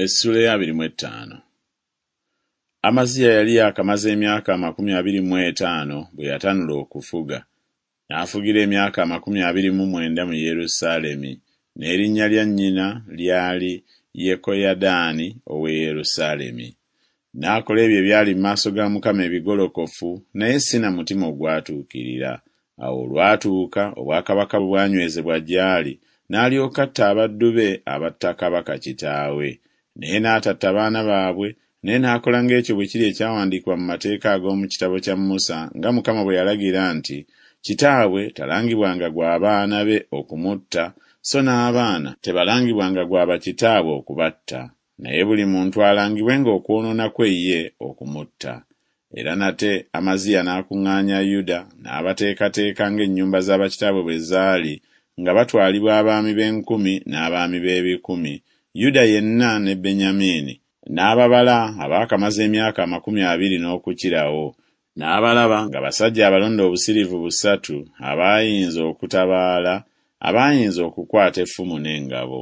Essuula ey'abiri mu ettaano. Amaziya yali yaakamaze emyaka 25 bwe yatanula okufuga, n'afugira emyaka 29 mu Yerusaalemi, n'erinnya lya nnyina lyali Yekoyadaani ow'e Yerusaalemi. N'akola ebyo ebyali mu maaso ga Mukama ebigolokofu, naye si na mutima ogwatuukirira. Awo olwatuuka obwakabaka bwe bwanywezebwa gy'ali, n'alyoka atta abaddu be abatta kabaka kitaawe. Naye n'atatta baana baabwe, naye n'akola ng'ekyo bwe kiri ekyawandiikibwa mu mateeka ag'omu kitabo kya Musa, nga Mukama bwe yalagira nti Kitaabwe talangibwanga gwa baana be okumutta, so n'abaana tebalangibwanga gwa bakitaabwe okubatta, naye buli muntu alangibwenga okwonoona kwe ye okumutta. Era nate Amaziya n'akuŋŋaanya Yuda, n'abateekateeka ng'ennyumba za bakitaabwe bwe zaali, nga batwalibwa abaami b'enkumi n'abaami b'ebikumi, Yuda yenna ne Benyamini, n'ababala abaakamaze emyaka 20 n'okukirawo, n'abalaba nga basajja abalonde obusiriivu busatu abaayinza okutabaala, abaayinza okukwata effumu n'engabo.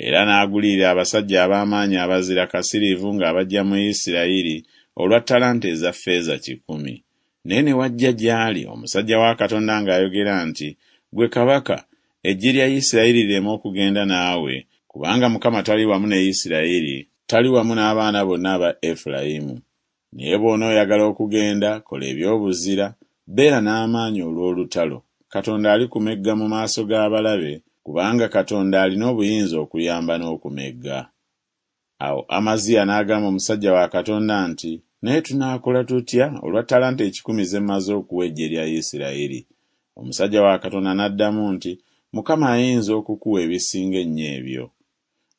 Era n'agulirira abasajja ab'amaanyi abazira kasiriivu ng'abaggya mu Isirayiri olwa ttalanta eza ffeeza kikumi. Naye ne wajja gy'ali omusajja wa Katonda ng'ayogera nti Ggwe kabaka, eggye lya Isirayiri lireme okugenda naawe, kubanga Mukama tali wamu ne Isirayiri, tali wamu n'abaana bonna aba Efulayimu. Naye bw'onooyagala okugenda, kola eby'obuzira, beera n'amaanyi olw'olutalo, Katonda alikumegga mu maaso g'abalabe, kubanga Katonda alina obuyinza okuyamba n'okumegga. Awo Amaziya n'agamba omusajja wa Katonda nti Naye tunaakola tutya olwa ttalanta ekikumi ze mmaze okuwa eggye lya Isirayiri? Omusajja wa Katonda n'addamu nti Mukama ayinza okukuwa ebisinga ennyo ebyo.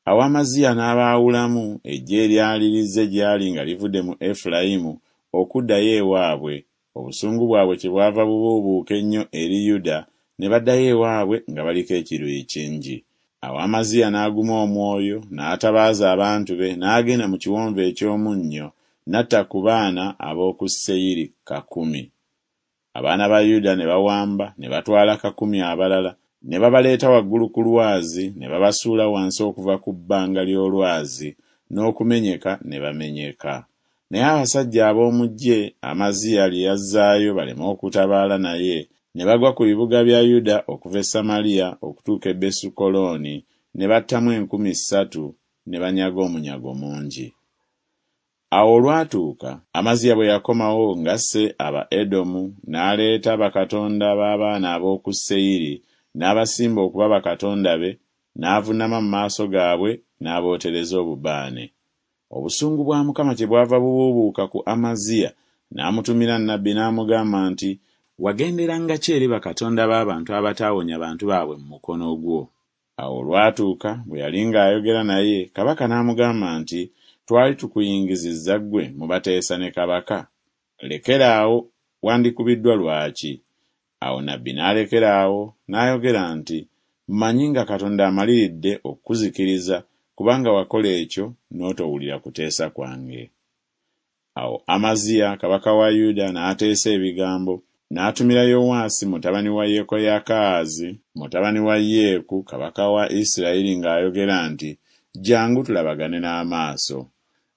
Awo Amaziya n'abaawulamu eggye eryali lizze gy'ali nga livudde mu Efulayimu okuddayo ewaabwe, obusungu bwabwe kyebwava bubuubuuka ennyo eri Yuda, ne baddayo ewaabwe nga baliko ekiruyi kingi. Awo Amaziya n'aguma omwoyo, n'atabaaza abantu be, n'agenda mu kiwonvu eky'omunnyo, n'atta ku baana ab'oku Seyiri kakumi. Abaana ba Yuda ne bawamba ne batwala kakumi abalala, ne babaleeta waggulu ku lwazi, ne babasuula wansi okuva ku bbanga ly'olwazi, n'okumenyeka ne bamenyeka. Naye abasajja ab'omu ggye Amaziya lye yazzaayo baleme okutabaala naye, ne bagwa ku bibuga bya Yuda okuva e Samaliya okutuuka e Besukolooni, ne battamu 3000, ne banyaga omunyago mungi. Awo olwatuuka, Amaziya bwe yakomawo ng'asse Abaedomu, n'aleeta bakatonda b'abaana ab'oku Seyiri, n'abasimba okuba bakatonda be, n'avunnama mu maaso gaabwe n'abootereza obubaane. Obusungu bwa Mukama kyebwava bubuubuuka ku Amaziya, n'amutumira nnabbi n'amugamba nti Wagenderanga ki eri bakatonda b'abantu abataawonya bantu baabwe mu mukono gwo? Awo olwatuuka, bwe yali ng'ayogera naye, kabaka n'amugamba nti Twali tukuyingizizza ggwe mu bateesa ne kabaka? Lekera awo, wandikubiddwa lwaki? Awo nabbi n'alekera awo, n'ayogera nti Mmanyi nga Katonda amaliridde okukuzikiriza, kubanga wakola ekyo n'otowulira kuteesa kwange. Awo Amaziya kabaka wa Yuda n'ateesa ebigambo, n'atumira Yowaasi mutabani wa Yekoyakaazi mutabani wa Yeeku kabaka wa Isirayiri ng'ayogera nti Jjangu tulabagane n'amaaso.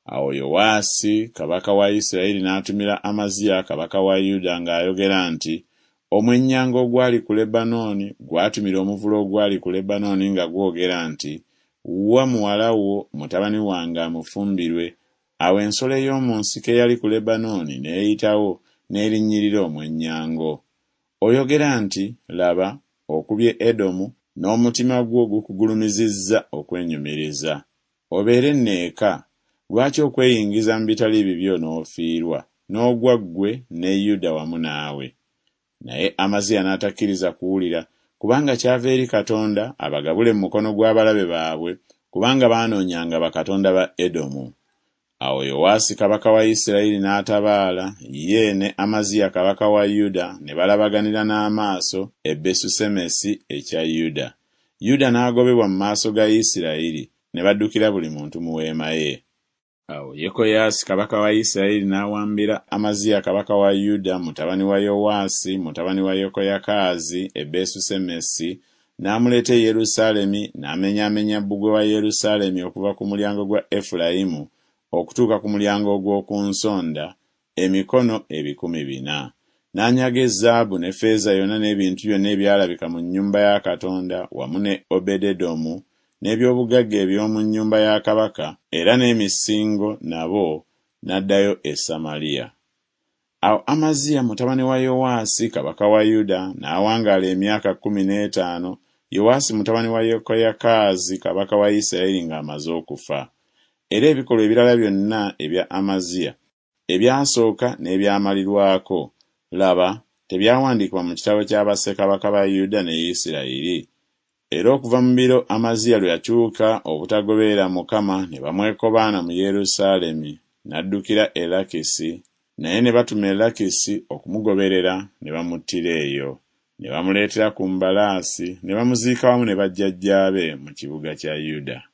Awo Yowaasi kabaka wa Isirayiri n'atumira Amaziya kabaka wa Yuda ng'ayogera nti Omwennyango ogwali ku Lebanooni gwatumira omuvule ogwali ku Lebanooni nga gwogera nti Wa muwala wo mutabani wange amufumbirwe, Awo ensolo ey'omu nsiko eyali ku Lebanooni n'eyitawo n'erinnyirira omwennyango. Oyogera nti Laba, okubye Edomu, n'omutima gwo gukugulumizizza okwenyumiriza. Obeere nno eka, lwaki okweyingiza mu bitali bibyo n'ofiirwa, n'ogwa ggwe ne Yuda wamu naawe? Naye Amaziya n'atakkiriza kuwulira, kubanga kyava eri Katonda abagabule mu mukono gw'abalabe baabwe, kubanga baanoonyanga bakatonda ba Edomu. Awo Yowaasi kabaka wa Isirayiri n'atabaala, ye ne Amaziya kabaka wa Yuda ne balabaganira n'amaaso e Besusemesi ekya Yuda. Yuda n'agobebwa mu maaso ga Isirayiri, ne baddukira buli muntu mu weema ye. Awo Yekoyaasi kabaka wa Isirayiri n'awambira Amaziya kabaka wa Yuda mutabani wa Yowaasi mutabani wa Yekoyakaazi e Besusemesi, N'amuleeta e Yerusaalemi, n'amenyaamenya bbugwe wa Yerusaalemi okuva ku mulyango gwa Efulayimu okutuuka ku mulyango ogw'oku nsonda, emikono 400. N'anyaga ezaabu ne ffeeza yonna n'ebintu byonna ebyalabika mu nnyumba ya Katonda wamu ne Obededomu n'eby'obugagga eby'omu nnyumba ya kabaka era n'emisingo nabo, n'addayo e Samaliya. Awo Amaziya mutabani wa Yowaasi kabaka wa Yuda n'awangaala emyaka 15, Yowaasi mutabani wa Yekoyakaazi kabaka wa Isirayiri ng'amaze okufa. Era ebikolwa ebirala byonna ebya Amaziya, ebyasooka n'ebyamalirwako, laba, tebyawandiikibwa mu kitabo kya bassekabaka ba Yuda ne Isirayiri? Era okuva mu biro Amaziya lwe yakyuka obutagoberera Mukama ne bamwekobaana mu Yerusaalemi, n'addukira e Lakisi, naye ne batuma e Lakisi okumugoberera ne bamuttira eyo. Ne bamuleetera ku mbalaasi ne bamuziika wamu ne bajjajjaabe mu kibuga kya Yuda.